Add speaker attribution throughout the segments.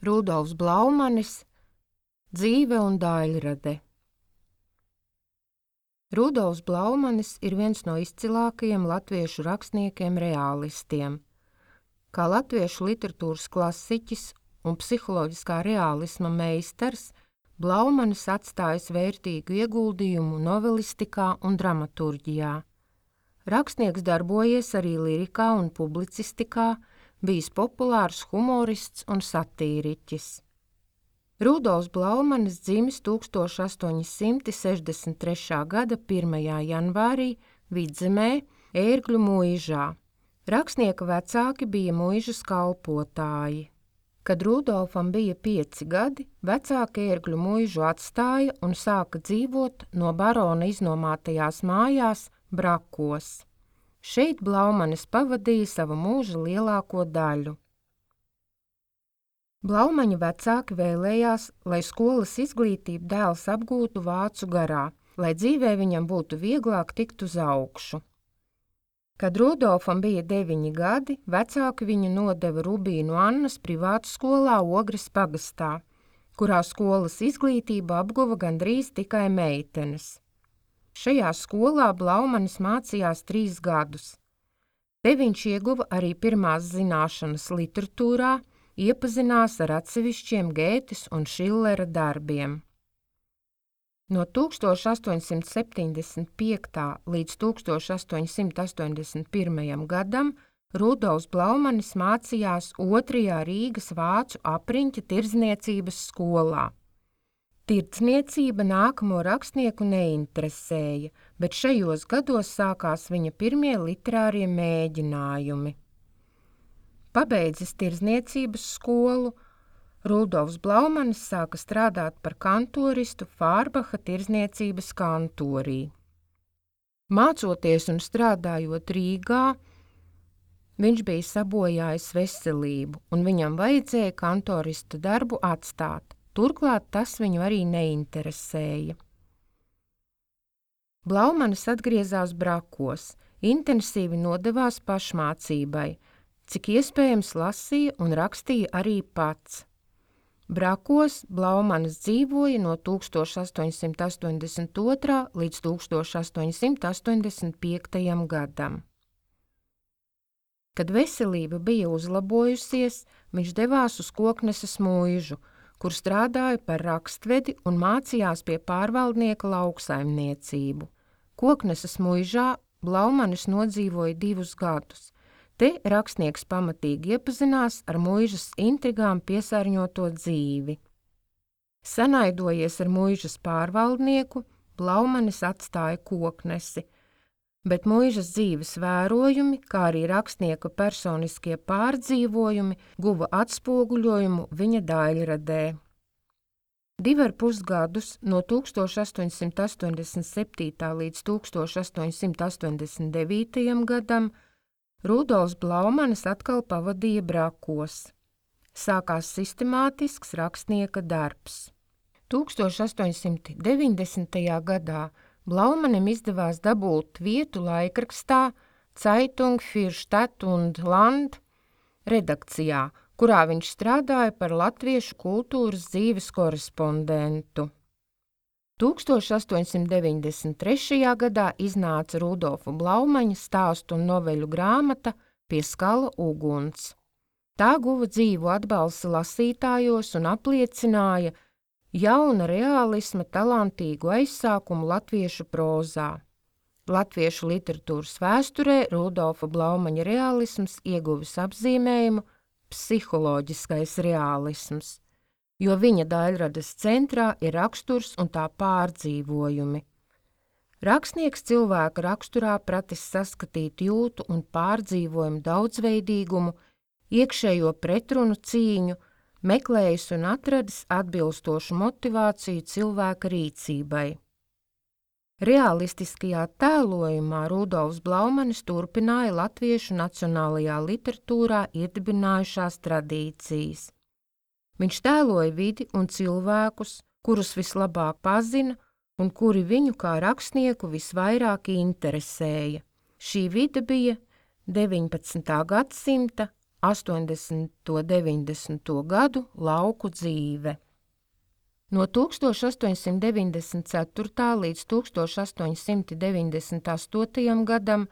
Speaker 1: Rudolfs Blaumanis, Dzīve un daļrade. Rudolfs Blaumanis ir viens no izcilākajiem latviešu rakstniekiem reālistiem. Kā latviešu literatūras klasiķis un psiholoģiskā reālisma meistars, Blaumanis atstājis vērtīgu ieguldījumu novelistikā un dramaturģijā. Rakstnieks darbojies arī lirikā un publicistikā, bijis populārs humorists un satīriķis. Rudolfs Blaumanis dzimis 1863. gada 1. janvārī Vidzemē, Ērgļu muižā. Rakstnieka vecāki bija muižas kalpotāji. Kad Rudolfam bija 5 gadi, vecāki Ērgļu muižu atstāja un sāka dzīvot no barona iznomātajās mājās Brakos. Šeit Blaumanis pavadīja savu mūža lielāko daļu. Blaumaņa vecāki vēlējās, lai skolas izglītību dēls apgūtu vācu garā, lai dzīvē viņam būtu vieglāk tikt uz augšu. Kad Rudolfam bija 9 gadi, vecāki viņu nodeva Rubīnu Annas privātskolā Ogres pagastā, kurā skolas izglītību apguva gandrīz tikai meitenes. Šajā skolā Blaumanis mācījās 3 gadus. Te viņš ieguva arī pirmās zināšanas literatūrā, iepazinās ar atsevišķiem Gētes un Šillera darbiem. No 1875. līdz 1881. gadam Rudolfs Blaumanis mācījās 2. Rīgas vācu apriņķa tirdzniecības skolā. Tirdzniecība nākamo rakstnieku neinteresēja, bet šajos gados sākās viņa pirmie literārie mēģinājumi. Pabeidzis tirdzniecības skolu, Rudolfs Blaumanis sāka strādāt par kantoristu Fārbaha tirdzniecības kantorī. Mācoties un strādājot Rīgā, viņš bija sabojājis veselību, un viņam vajadzēja kantorista darbu atstāt. Turklāt tas viņu arī neinteresēja. Blaumanis atgriezās Brakos, intensīvi nodevās pašmācībai, cik iespējams lasīja un rakstīja arī pats. Brakos Blaumanis dzīvoja no 1882. līdz 1885. gadam. Kad veselība bija uzlabojusies, viņš devās uz Kokneses muižu, kur strādāja par rakstvedi un mācījās pie pārvaldnieka lauksaimniecību. Kokneses muižā Blaumanis nodzīvoja 2 gadus. Te rakstnieks pamatīgi iepazinās ar muižas intrigām piesārņoto dzīvi. Sanaidojies ar muižas pārvaldnieku, Blaumanis atstāja Koknesi, bet muižas dzīves vērojumi, kā arī rakstnieka personiskie pārdzīvojumi, guva atspoguļojumu viņa daļradē. 2,5 gadus no 1887. līdz 1889. gadam Rudolfs Blaumanis atkal pavadīja Brakos. Sākās sistemātisks rakstnieka darbs. 1890. gadā Blaumanim izdevās dabūt vietu laikrakstā Zeitung für Stadt und Land redakcijā, kurā viņš strādāja par latviešu kultūras dzīves korespondentu. 1893. gadā iznāca Rudolfa Blaumaņa stāstu un noveļu grāmata Pie skala uguns. Tā guva dzīvu atbalstu lasītājos un apliecināja jauna reālisma talantīgu aizsākumu latviešu prozā. Latviešu literatūras vēsturē Rudolfa Blaumaņa reālisms ieguvis apzīmējumu psiholoģiskais reālisms, jo viņa daļradas centrā ir raksturs un tā pārdzīvojumi. Rakstnieks cilvēka raksturā pratis saskatīt jūtu un pārdzīvojumu daudzveidīgumu, iekšējo pretrunu cīņu, meklējis un atradis atbilstošu motivāciju cilvēka rīcībai. Realistiskajā tēlojumā Rudolfs Blaumanis turpināja latviešu nacionālajā literatūrā iedibinājušās tradīcijas. Viņš tēloja vidi un cilvēkus, kurus vislabāk pazina un kuri viņu kā rakstnieku visvairāk interesēja. Šī vide bija 19. gadsimta 80. un 90. gadu lauku dzīve. No 1894. līdz 1898. gadam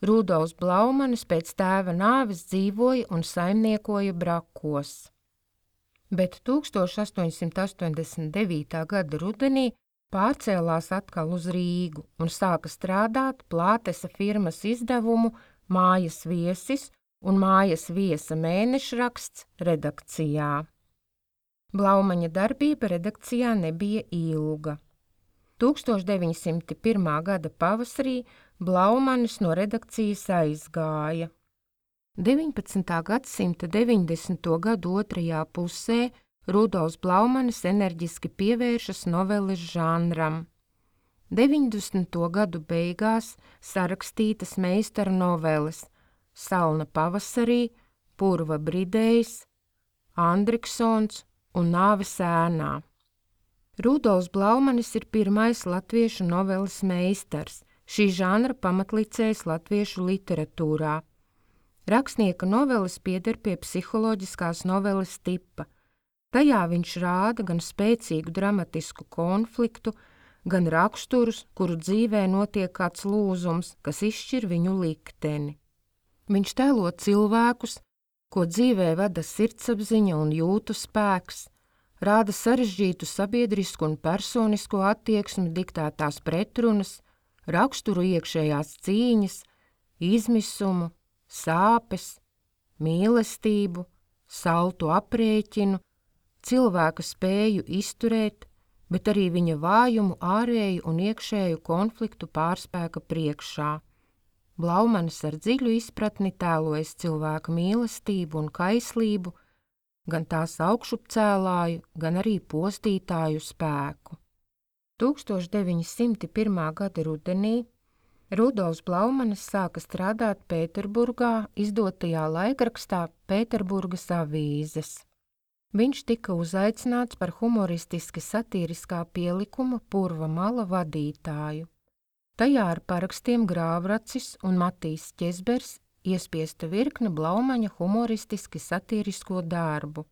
Speaker 1: Rudolfs Blaumanis pēc tēva nāves dzīvoja un saimniekoja Brakos. Bet 1889. gada rudenī pārcēlās atkal uz Rīgu un sāka strādāt Plātesa firmas izdevumu Mājas viesis un Mājas viesa mēnešraksts redakcijā. Blaumaņa darbība redakcijā nebija ilga. 1901. gada pavasarī Blaumanis no redakcijas aizgāja. 19. gadsimta 90. gadu otrajā pusē Rudolfs Blaumanis enerģiski pievēršas noveles žanram. 90. gadu beigās sarakstītas meistara noveles Salna pavasarī, Purva bridējs, Andriksons un Nāves ēnā. Rudolfs Blaumanis ir pirmais latviešu noveles meistars, šī žanra pamatlicējs latviešu literatūrā. Rakstnieka noveles pieder pie psiholoģiskās noveles tipa. Tajā viņš rāda gan spēcīgu dramatisku konfliktu, gan raksturus, kuru dzīvē notiek kāds lūzums, kas izšķir viņu likteni. Viņš tēlo cilvēkus, ko dzīvē vada sirdsapziņa un jūtu spēks, rāda sarežģītu sabiedrisku un personisko attieksmi diktētās pretrunas, raksturu iekšējās cīņas, izmisumu, sāpes, mīlestību, saltu aprēķinu, cilvēka spēju izturēt, bet arī viņa vājumu ārēju un iekšēju konfliktu pārspēka priekšā. Blaumanis ar dziļu izpratni tēlojas cilvēka mīlestību un kaislību, gan tās augšupcēlāju, gan arī postītāju spēku. 1901. gada rudenī Rudolfs Blaumanis sāka strādāt Pēterburgā izdotajā laikrakstā Pēterburgas avīzes. Viņš tika uzaicināts par humoristiski satīriskā pielikuma Purva mala vadītāju. Tajā ar parakstiem Grāvracis un Matīs Ķezbers iespiesta virkne Blaumaņa humoristiski satīrisko darbu.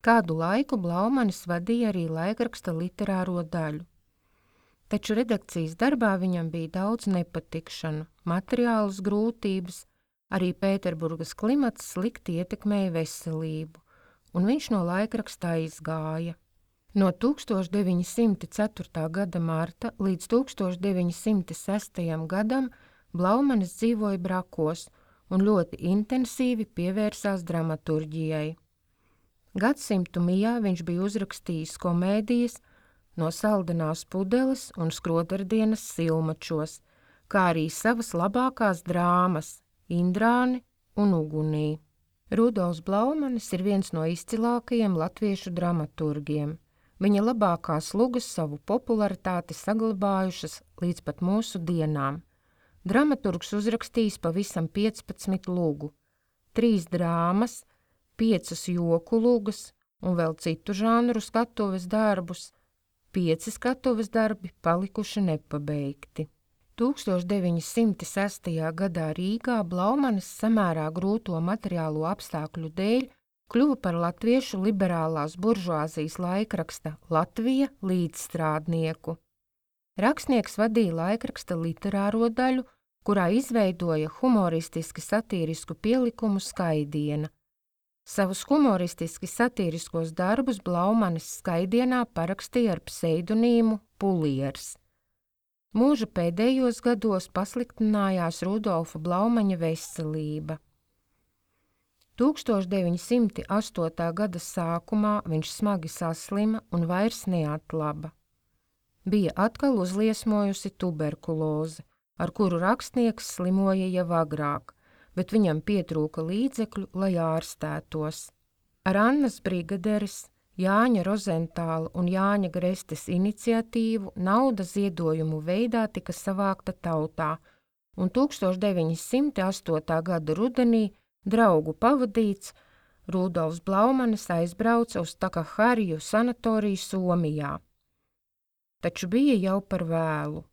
Speaker 1: Kādu laiku Blaumanis vadīja arī laikraksta literāro daļu. Taču redakcijas darbā viņam bija daudz nepatikšanu, materiālas grūtības, arī Pēterburgas klimats slikti ietekmēja veselību, un viņš no laikraksta aizgāja. No 1904. gada marta līdz 1906. gadam Blaumanis dzīvoja Brakos un ļoti intensīvi pievērsās dramaturģijai. Gadsimtu mijā viņš bija uzrakstījis komēdijas No saldenās pudeles un Skrodardienas silmačos, kā arī savas labākās drāmas Indrāni un Ugunī. Rudolfs Blaumanis ir viens no izcilākajiem latviešu dramaturgiem. Viņa labākās lugas savu popularitāti saglabājušas līdz pat mūsu dienām. Dramaturgs uzrakstījis pavisam 15 lugu, 3 drāmas, 5 joku lugas un vēl citu žanru skatuves darbus, 5 skatuves darbi palikuši nepabeigti. 1906. gadā Rīgā Blaumanis samērā grūto materiālo apstākļu dēļ kļuva par latviešu liberālās buržuāzijas laikraksta Latvija līdzstrādnieku. Rakstnieks vadīja laikraksta literāro daļu, kurā izveidoja humoristiski satīrisku pielikumu Skaidiena. Savus humoristiski satīriskos darbus Blaumanis Skaidienā parakstīja ar pseidonīmu Puliers. Mūža pēdējos gados pasliktinājās Rudolfa Blaumaņa veselība. 1908. gada sākumā viņš smagi saslima un vairs neatlaba. Bija atkal uzliesmojusi tuberkuloze, ar kuru rakstnieks slimoja jau agrāk, bet viņam pietrūka līdzekļu, lai ārstētos. Ar Annas Brigaderes, Jāņa Rozentāla un Jāņa Grestes iniciatīvu nauda ziedojumu veidā tika savākta tautā, un 1908. gada rudenī draugu pavadīts Rudolfs Blaumanis aizbrauca uz Takahariju sanatoriju Somijā. Taču bija jau par vēlu.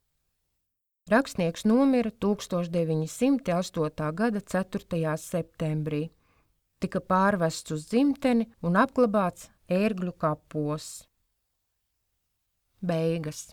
Speaker 1: Rakstnieks nomira 1908. gada 4. septembrī, tika pārvests uz dzimteni un apglabāts Ērgļu kapos. Beigas.